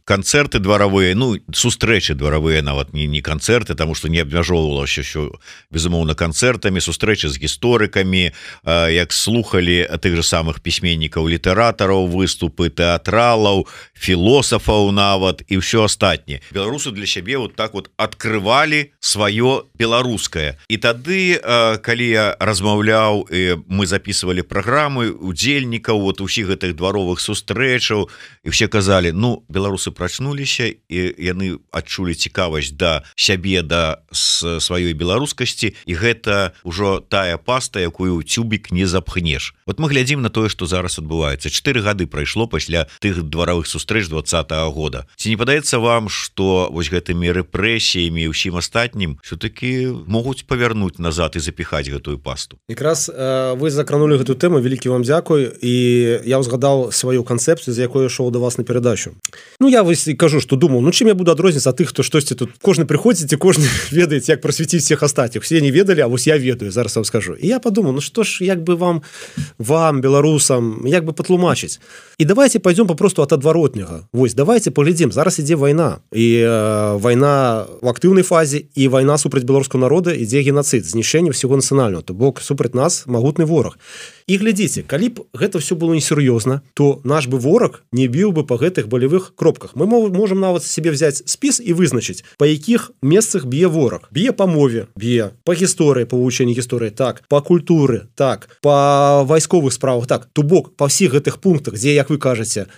канцэрты дваравыя, сустрэчы дваравыя, нават не канцэрты, таму што не абмяжоўвалася ўсё, безумоўна, канцэртамі, сустрэчы з гісторыкамі, як слухалі тых же самых пісьменнікаў, літаратараў, выступы тэатралаў, філосафаў нават і ўсё астатняе. Беларусы для сябе вот так вот открывалі сваё беларускае. І тады, калі я размаўляў, мы записывалі праграмы удзельнікаў вот усіх гэтых дваровых сустрэчаў, і все казалі, беларусы прачнуліся, і яны адчулі цікавасць да сябе, да сваёй беларускасці, і гэта ўжо тая паста, якую ў цюбік не запхнеш. Вот мы глядзім на тое, што зараз адбываецца адбываецца? 4 гады прайшло пасля тых дваровых сустрэч 20-го года. Ці не падаецца вам, што вось гэтымі рэпрэсіямі і ўсім астатнім все-таки могуць павярнуць назад і запіхаць гэтую пасту? Якраз вы закранули гэту тэму, вялікі вам дзякуй, і я ўзгадаў сваю канцэпцыю, з якой ішоў да вас на перадачу. Ну, я вось кажу, што думаў, ну чым я буду адрозніцца ад тых, хто штосьці тут, кожны прыходзіць і кожны ведаеце, як прасвяціць всех астатніх. Все не ведалі, а вось я ведаю, зараз вам скажу. І я подумаў, ну што ж, як бы вам, беларусам, як бы патлумачыць. І давайте пойдем попросту от адваротняга. Вось, давайте поглядзім, зараз ідзе вайна. І вайна в актыўнай фазе, і вайна супраць беларускага народа, ідзе геноцид, знішчэнне всего нацыянального. То бок супраць нас магутны вораг. І глядзіце, калі б гэта все было несур'ёзна, то наш бы вораг не біў бы па гэтых болевых кропках. Мы можем нават себе взять спіс і вызначыць, па якіх месцах б'е вораг. Б'е па мове, б'е па гісторыі, па вывучэнні гісторыі, так, па культуры, так, па вайсковых справах, так. То бок па ўсіх гэтых пунктах, дзе, як вы кажаце,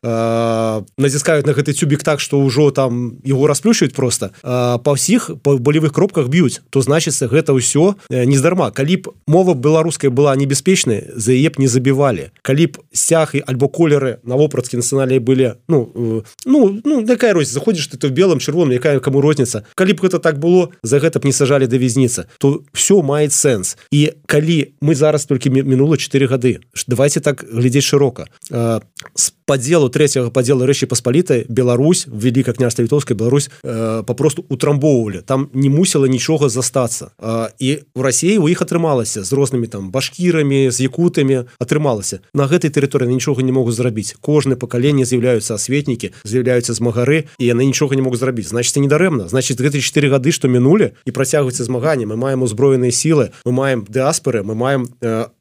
націскаюць на гэты цюбік так, што ўжо там яго расплющваюць просто, па ўсіх па болевых кропках б'юць, то значыцца гэта ўсё нездарма. Калі б мова беларуская была небяспечнай, за яе б не забівалі. Калі б сцяг альбо колеры на вопраткі нацыянальныя былі, якая розніца, заходзіш ты то в белым, чырвоным, якая каму розніца. Калі б гэта так было, за гэта б не сажалі да вязніцы. То все мае сэнс. І калі мы зараз толькі мінула 4 гады, давайте так глядзець шырока. З падзелу, трэцяга падзелу Рэчы Паспалітай Беларусь, Великае княжства Літоўскае, Беларусь папросту утрамбоўвалі. Там не мусіла нічога застацца. І в Расіі у іх атрымалася з рознымі там башкірамі, з якутамі, атрымалася. На гэтай тэрыторыі нічога не могуць зрабіць. Кожнае пакаленне з'яўляюцца асветнікі, з'яўляюцца змагары, і яны нічога не могуць зрабіць. Значыць, не дарэмна. Значыць, гэтыя 4 гады, што мінулі, і працягваюцца змаганні. Мы маем узброеныя сілы, мы маем дыаспоры, мы маем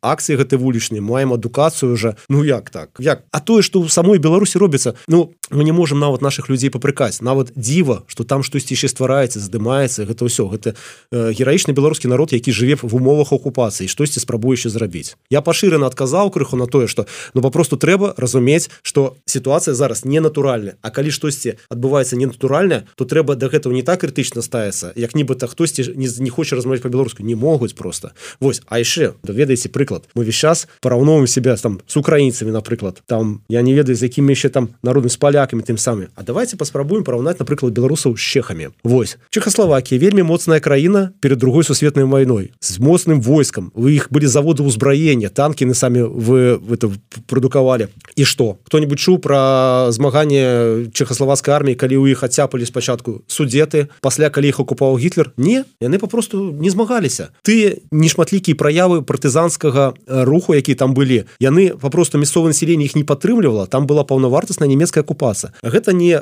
акцыі гэтай вулічныя, мы маем адукацыю уже. Ну як так? Як? А тое, што ў самой Беларусі робіцца, мы не можам нават нашых людзей папрыкаць. Нават дзіва, што там штосьці яшчэ ствараецца, здымаецца, гэта ўсё. Гэта гераічны беларускі народ, які жыве в умовах акупацыі, штосьці спрабуе яшчэ зрабіць. Я пашырана адказаў крыху на тое, што папросту трэба разумець, што сітуацыя зараз не натуральная. А калі штосьці адбываецца ненатуральнае, то трэба да гэтага не так крытычна ставіцца, як нібыта хтосьці не хоча размаўляць па-беларуску. Не могуць просто. Вось, а яшчэ, ведаеце, прыклад. Мы весь час параўноўваем себя там з украінцамі, напрыклад. Там, я не ведаю, з якімі яшчэ там народамі, з палякамі тым самым. А давайте паспрабуем параўнаць, напрыклад, беларусаў з чэхамі. Вось. Чэхаславакія вельмі моцная краіна перад другой сусветнай вайной. З моцным войскам. У іх былі заводы ўзбраення, танкі на самі вы это прадукавалі. І што? Хто-нибудь чуў пра змаганне чэхаславацкай арміі, калі ў іх адцяпалі спачатку судеты, пасля калі іх акупаваў Гітлер? Не, яны папросту не змагаліся. Тыя нешматлікія праявы партызанскага руху, які там былі, яны папросту мясцовае насельніцтва іх не падтрымлівала, там была паўнавартасная нямецкая акупацыя. Гэта не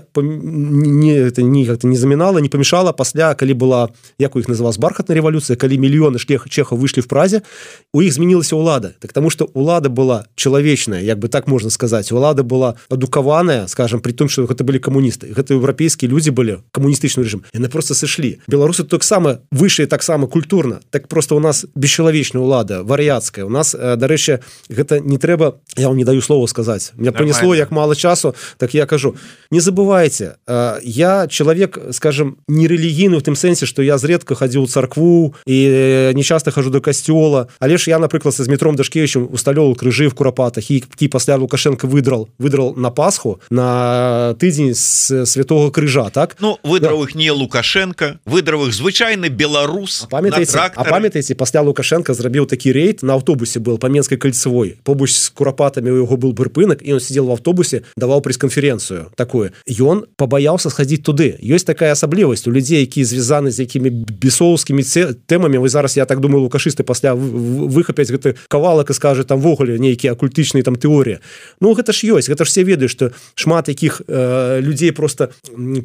замінала, не памешала пасля, калі была, як у іх называлась, бархатная рэвалюцыя, калі мільёны чэхаў выйшлі в Празе, у іх змянілася ўлада. Так таму што ўлада была чалавечная, як бы так можна сказаць. Улада была адукаваная, скажем, при том, што гэта былі камуністы. Гэта еўрапейскія людзі былі, камуністычны рэжым. Яны просто сышлі. Беларусы таксама выйшлі таксама культурна. Так просто у нас бесчалавечная ўлада, вар'яцкая. У нас, дарэчы, гэта не трэба, я вам не даю слова сказаць. Меня понесло, як мало часу, так я кажу. Не забывайте, я человек, скажем, не рэлігійны в тым сэнсе, што я зредка хадзіў у царкву і не часто хожу до касцёла. Але ж я, напрыклад, з Дмітром Дашкевічем усталёваў крыжы в Курапатах, які пасля Лукашенко выдрал на Пасху на тыдзень з Святого Крыжа, так? Ну, выдраў іх не Лукашенко, выдраў іх звычайны беларус на трактары. А памятаеце, пасля Лукашенко зрабіў такі рейд, на аўтобусе был па Менскай кальцевой, побач з Курапатамі у яго был прыпынак, і он сидел в аўтобусе, даваў прэс-канференцыю такую. Ён пабаяўся схадзіць туды. Ёсць такая асаблівасць у людзей, якія звязаны з якімі бесоўскімі тэмамі. Вы зараз, я так думаю, лукашысты пасля выхапяць гэты кавалак і скажа там вогуле нейкія акультычныя там тэорыі. Ну, гэта ж ёсць, гэта ж все ведаюць, што шмат якіх людзей просто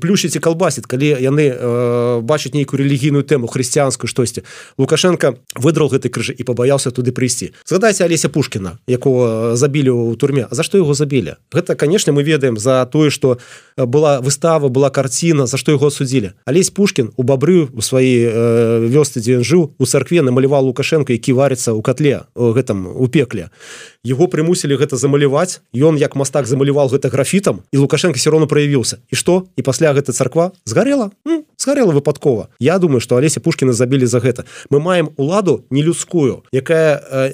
плюшыць і калбасіць, калі яны бачаць нейкую рэлігійную тэму, хрысціянскую штосьці. Лукашенко выдраў гэты крыжы і пабаяўся туды прыйсці. Згадайце Алеся Пушкіна, якого забілі ў турме. А за што яго забілі? Гэта, конечно, мы ведаем за тое, што была выстава, была карціна, за што яго асудзілі. Алесь Пушкін у Бабры, у сваёй вёсцы, дзе ён жыў, у царкве намаляваў Лукашенко, які варыцца ў котле, у пекле. Его прымусілі гэта замаляваць, ён як мастак замаляваў гэта графітам, і Лукашенко все равно праявіўся. І што? І пасля гэта царква згарэла? Згарэла выпадкова. Я думаю, што Алеся Пушкіна забілі за гэта. Мы маем уладу нелюдскую, якая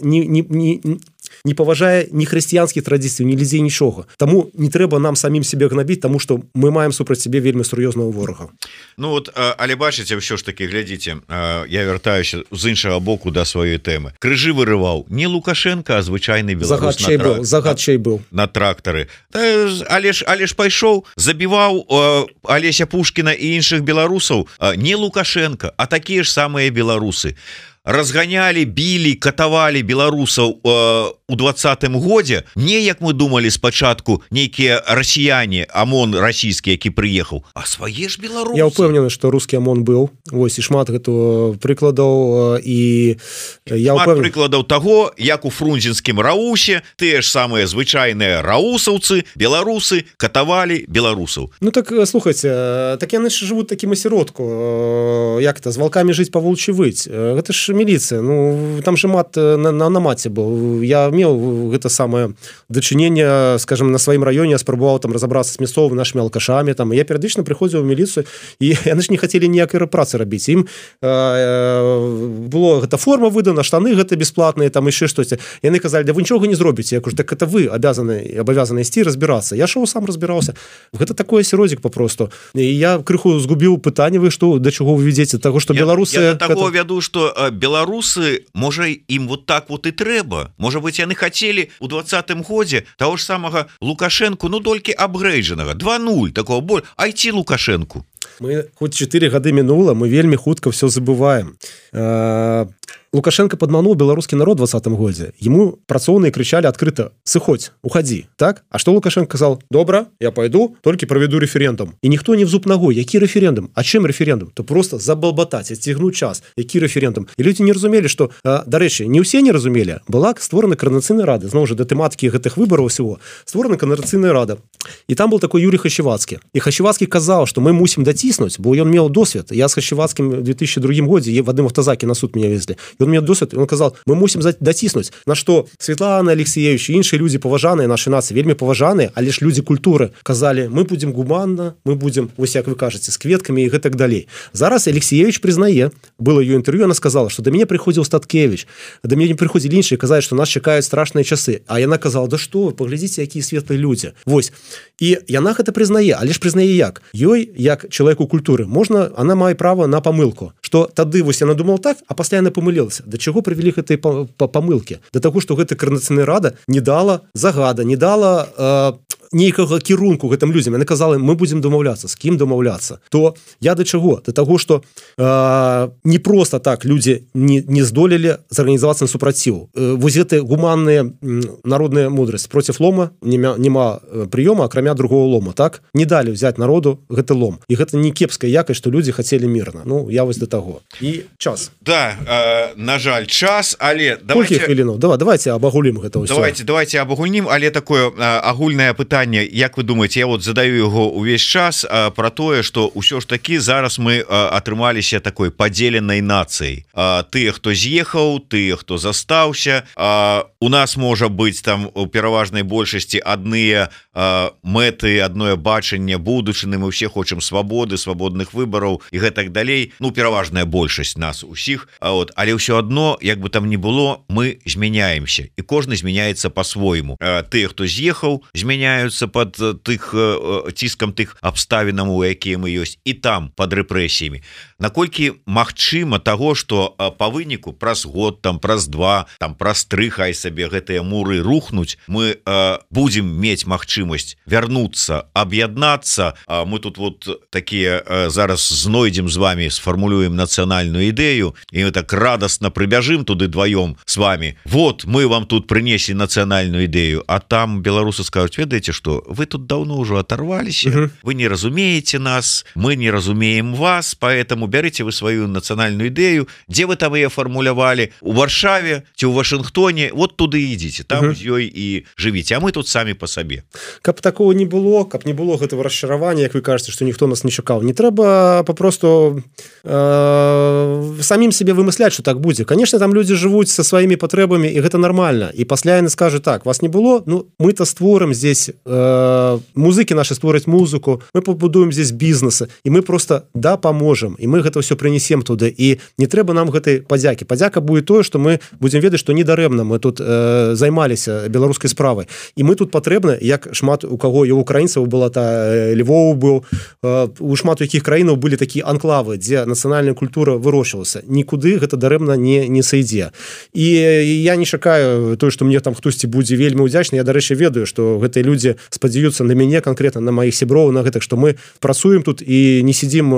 не паважае ні хрысціянскіх традыцый, ні людзей, нічога. Таму не трэба нам самім себе гнабіць, таму што мы маем супраць сябе вельмі сур'ёзнага ворага. Ну вот, але бачыце, ўсё ж таки, глядзіце, я вяртаюся з іншага боку да сваёй тэмы. Крыжы вырываў не Лукашенко, а звычайны беларус загадчай быў на трактары. Але ж пайшоў, забіваў Алеся Пушкіна і іншых беларусаў не Лукашенко, а такія ж самыя беларусы. Разганялі, білі, катавалі беларусаў у 20-м годзе, не як мы думалі спачатку нейкія расіяне, ОМОН расійскі, які прыехаў, а свае ж беларусы. Я ўпэўнены, што рускі ОМОН быў. Вось, і шмат гэтага прыкладаў, і я шмат прыкладаў таго, як у фрунзенскім Раусе тыя ж самыя звычайныя раусаўцы, беларусы катавалі беларусаў. Ну так, слухайце, так яны ж жывуць такім асяродку, як это, з валкамі жыць, па волчі выть. Гэта ж міліцыя, ну там же мат на маце быў. Я меў гэта самае дачыненне, скажем, на сваім раёне, я спрабаваў там разабрацца з мясцовымі нашымі алкашамі, там я перыядычна прыходзіў у міліцыю, і яны ж не хацелі ніякай працы рабіць. Ім было гэта форма выдана, штаны гэта бесплатныя, там яшчэ штосьці. Яны казалі, да вы нічога не зробіце. Я кажу, так это вы абавязаны ісці разбірацца. Я шоў сам разбіраўся. Гэта такой асяроддзік папросту. І я крыху згубіў пытанне, вы што, да чаго вы ведзеце, таго што беларусы. Я да таго вяду, што беларусы, можа, ім вот так вот і трэба. Можа быть, яны хацелі у 20-м годзе таго ж самага Лукашенку, ну толькі апгрэйджанага 2-0, такого боль, айці Лукашенку. Мы хоць 4 гады мінула, мы вельмі хутка все забываем. Лукашенко падмануў беларускі народ у 20-м годзе. Ему працоўныя крычалі адкрыта: сыходзь, уходи. Так? А што Лукашенко казал? Добра, я пойду, толькі праведу референдум. І ніхто не в зуб ногой. Які референдум? А чым референдум? То просто забалбатаць, адцягнуць час. Які референдум? І людзі не разумелі, што, дарэчы, не ўсе не разумелі. Была створана координацыйная рада, зноў жа да тэматыкі гэтых выбараў усього. Створана координацыйная рада. І там был такой Юрий Хачевацкі. І Хачевацкі казаў, што мы мусім даціснуць, бо ён меў досвед. Я з Хачевацкім в 2002 годзе в адным автозакі на суд меня везли. І он мне досвед, он казал, мы мусім даціснуць. На што Светлана Алексеевич і іншыя людзі паважаныя, нашы нацыі, вельмі паважаныя, але ж людзі культуры казалі, мы будзем гуманна, мы будзем, вось як вы кажаце, з кветкамі і гэтак далей. Зараз Алексеевич признае, было ее интервью, она сказала, что до меня приходил Статкевич, до меня приходили іншыя, казалі, что нас чакаюць страшныя часы. А яна казала, да што вы, паглядзіце, якія светлыя людзі. Вось. І яна гэта признае, але ж признае як? Ёй, як чалавеку культуры, можна, она мае права на памылку. Што тады вось яна думала так, а пасля яна памылілася. Да чаго прывялі гэтыя памылкі? Да таго, што гэта координацыйная рада не дала загада, не дала нейкага кірунку гэтым людзям. Яны казалі, мы будзем дамаўляцца. З кім дамаўляцца? То я да чаго? Да таго, што не проста так людзі не здолелі зарганізавацца на супраціў. Вось гэтыя гуманныя народная мудрасць. Проціў лома нема прыёма, акрамя другого лома. Так? Не далі ўзяць народу гэты лом. І гэта не кепская якасць, што людзі хацелі мірна. Ну, я вось да таго. І час. Да, на жаль, час, але... Колькі хвілінаў? Давайте абагулім гэта ўсё. Давайте абагульнім, але такое агульнае пытанне. Як вы думаете, я вот задаю его увесь час про тое, что ўсё ж таки зараз мы атрымаліся такой падзеленай нацыяй. Тыя, хто з'ехаў, тыя, хто застаўся. У нас можа быць там у пераважнай большасці адныя мэты, адное бачанне будучыны, мы ўсе хочам свабоды, свабодных выбараў і гэтак далей. Ну, пераважная большасць нас усіх. Але ўсё адно, як бы там ни было, мы змяняемся. І кожны змяняецца по-свойму. Тыя, хто з'ехаў, змяняюцца под ціскам тых абставінаў, у якія мы ёсць, і там под рэпрэсіямі. Наколькі магчыма таго, што па выніку праз год, там праз 2, там праз 3, хай сабе гэтыя муры рухнуць, мы будзем мець магчымасць вярнуцца, аб'яднацца. Мы тут вот такія зараз знойдзем з вами, сфармулюем нацыянальную ідэю, і мы так радасна прыбяжым туды дваём с вами. Вот, мы вам тут прынеслі нацыянальную ідэю, а там беларусы скажуць, ведаеце што, вы тут давно уже оторвались, вы не разумеете нас, мы не разумеем вас, поэтому берите вы свою национальную идею, где вы там ее формулировали, у Варшаве, ці у Вашингтоне, вот туда идите, там ее и живите, а мы тут сами по себе. каб такого не было, каб не было гэтага расчаравання, як вы кажаце, што ніхто нас не чакаў, не трэба папросту самім себе вымысляць, што так будзе. Конечно, там людзі жывуць са сваімі патрэбамі, і гэта нармальна. І пасля яны скажуць: так, вас не было, ну мы-то створым здесь, музыкі наши створаць музыку, мы пабудуем здесь бізнесы, і мы просто дапаможам, і мы гэта ўсё прынесем туды, і не трэба нам гэтай падзякі. Падзяка будет тое, што мы будзем ведаць, што недарэмна мы тут займаліся беларускай справай, і мы тут патрэбны, як шмат у каго, і у украінцаў была Львов быў, у шмат у якіх краінаў былі такія анклавы, дзе нацыянальная культура вырощвалася, нікуды гэта дарэмна не сойдзе. І я не чакаю тое, што мне там хтосьці будзе вельмі ўдзячны. Я, дарэчы, ведаю, што гэтыя людзі спадзяюцца на мяне конкретно, на маіх сяброў, на гэтых, што мы працуем тут і не сидзім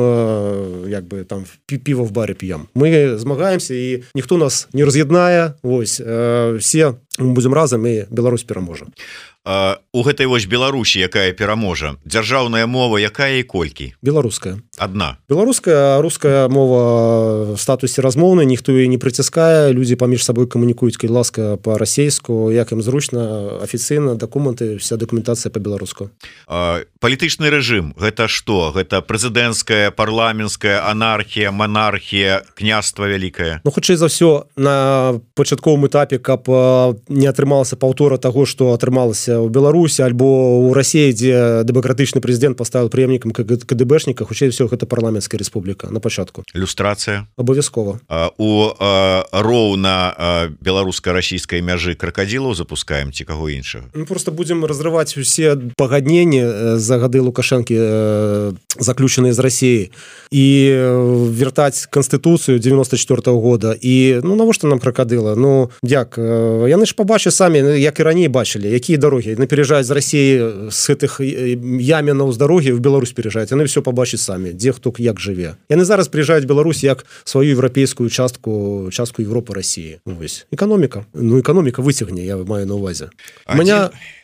як бы там піва в баре п'ем. Мы змагаемся, і ніхто нас не раз'яднае. Вось, все будзем разам, і Беларусь пераможа. У гэтай вось Беларусі, якая пераможа, дзяржаўная мова якая і колькі? Беларуская. Адна. Беларуская, руская мова в статусе размоўнай, ніхто яе не прыціскае, людзі паміж сабой камунікуюць, калі ласка, па-расейску, як ім зручна, афіцыйна, дакументы, вся дакументацыя па-беларуску. Палітычны рэжым, гэта што? Гэта прэзідэнцкая, парламенцкая, анархія, монархія, княства вялікае? Ну, хутчэй за ўсё, на пачатковым этапе, каб не атрымалася паўтора таго, што атрымалася ў Беларусі альбо ў Расіі, дзе дэмакратычны прэзідэнт паставіў преемнікам КДБшніка, хутчэй всё гэта парламенцкая рэспубліка на пачатку. Люстрацыя? Абавязкова. У роўна беларуска-расійскай мяжы кракадзілаў запускаем ці каго іншага? Мы просто будзем разрываць усе пагадненні за гады Лукашэнкі, заключаныя з Расіі, і вяртаць канстытуцыю 94-го года. І ну навошта нам кракадыла? Ну як? Яны ж пабачаць самі, як і раней бачылі, якія дарогі. Яны пераязджаюць з Расіі, з гэтых ямінаў з дарогі в Беларусь пераязджаюць. Яны ўсё пабачаць самі, дзе хто як жыве. Яны зараз прыязджаюць в Беларусь як сваю еўрапейскую частку Европы, России. Вось. Экономика. Ну, экономика выцягне, я маю на увазе.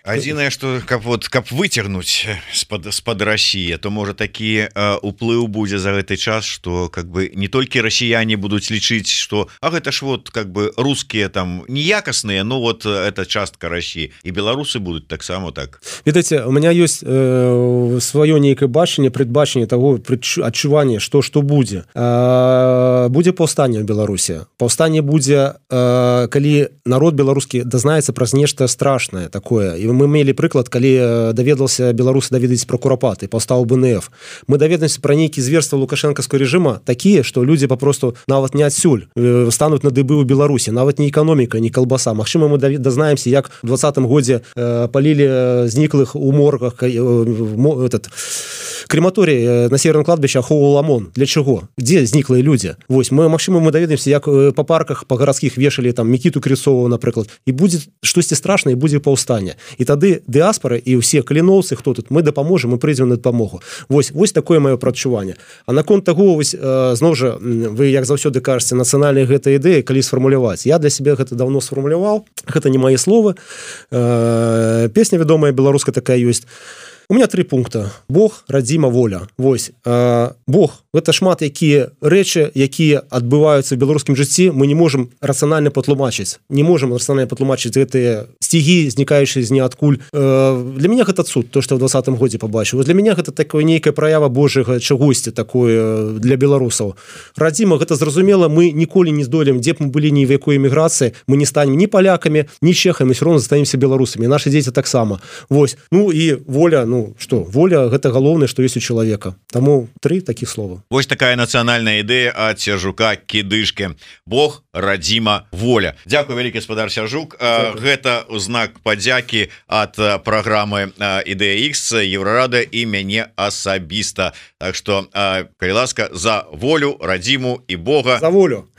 Адзінае, што каб выцягнуць з-пад Расіі, то можа такі уплыў будзе за гэты час, што как бы не толькі расіяне будуць лічыць, што а гэта ж вот как бы рускія там неякасныя, но вот это частка Расіі, і беларусы будуць таксама так. Ведаеце, у меня ёсць сваё нейкае бачанне, прадбачанне таго, адчуванне, што будзе. Будзе паўстанне ў Беларусі. Паўстанне будзе, калі народ беларускі дазнаецца праз нешта страшнае такое. І мы мелі прыклад, калі даведался беларусы даведаць пра Курапаты, паўстаў БНФ. Мы даведаемся пра нейкі зверства лукашэнкаўскага рэжыма такія, што людзі папросту нават не адсюль стануць на дыбы ў Беларусі, нават не эканоміка, не калбаса. Магчыма, мы дазнаемся, як у 20-м годзе палілі зніклых у моргах крематорий на северном кладбище Ахоу Ламон. Для чего? Где зниклые люди? Вось, магчыма, мы даведаемся, як по парках, по гарадскіх вешалі там Мікіту Крысову, напрыклад, і будзе штосьці страшнае, будзе паўстанне. І тады дыаспора і ўсе каліноўцы, хто тут, мы дапаможам, мы прыйдзем на дапамогу. Вось такое маё прадчуванне. А наконт таго, вось, зноў жа, вы як заўсёды кажаце, нацыянальная гэта ідэя, калі сфармуляваць. Я для себе гэта даўно сфармуляваў, гэта не мае словы. Песня вядомая беларуская такая ёсць. У меня 3 пункта. Бог, радзіма, воля. Вось. Бог – гэта шмат якія рэчы, якія адбываюцца ў беларускім жыцці, мы не можам рацыянальна патлумачыць. Не можам рацыянальна патлумачыць гэтыя сцігі, знікаючыя з ніадкуль. Для мяне гэта цуд, то, што ў 20-м годзе пабачыў. Для мяне гэта такое нейкая праява Божага чагосьці такое для беларусаў. Радзіма – гэта зразумела, мы ніколі не здолеем, дзе б мы былі ні в якой эміграцыі, мы не станем ні палякамі, ні чэхамі, ўсё роўна застанемся беларусамі. Нашы дзеці таксама. Вось. Ну і воля, што, воля гэта галоўнае, што ёсць у чалавека. Таму 3 такіх слова. Вось такая нацыянальная ідэя ад Сяржука Кідышкі. Бог, радзіма, воля. Дзякуй вялікі, спадар Сяржук. Гэта ў знак падзякі ад праграмы Ідэя Х, Еўрарада і мяне асабіста. Так што, калі ласка, за волю, радзіму і Бога. За волю.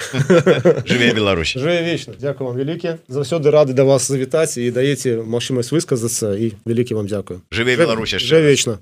Жыве Беларусь. Жыве вечна. Дзякуй вам вялікі. Заўсёды рады да вас завітаць і даеце магчымасць высказацца, і вялікі вам дзякуй. Жыве Беларусь. Жыве вечна.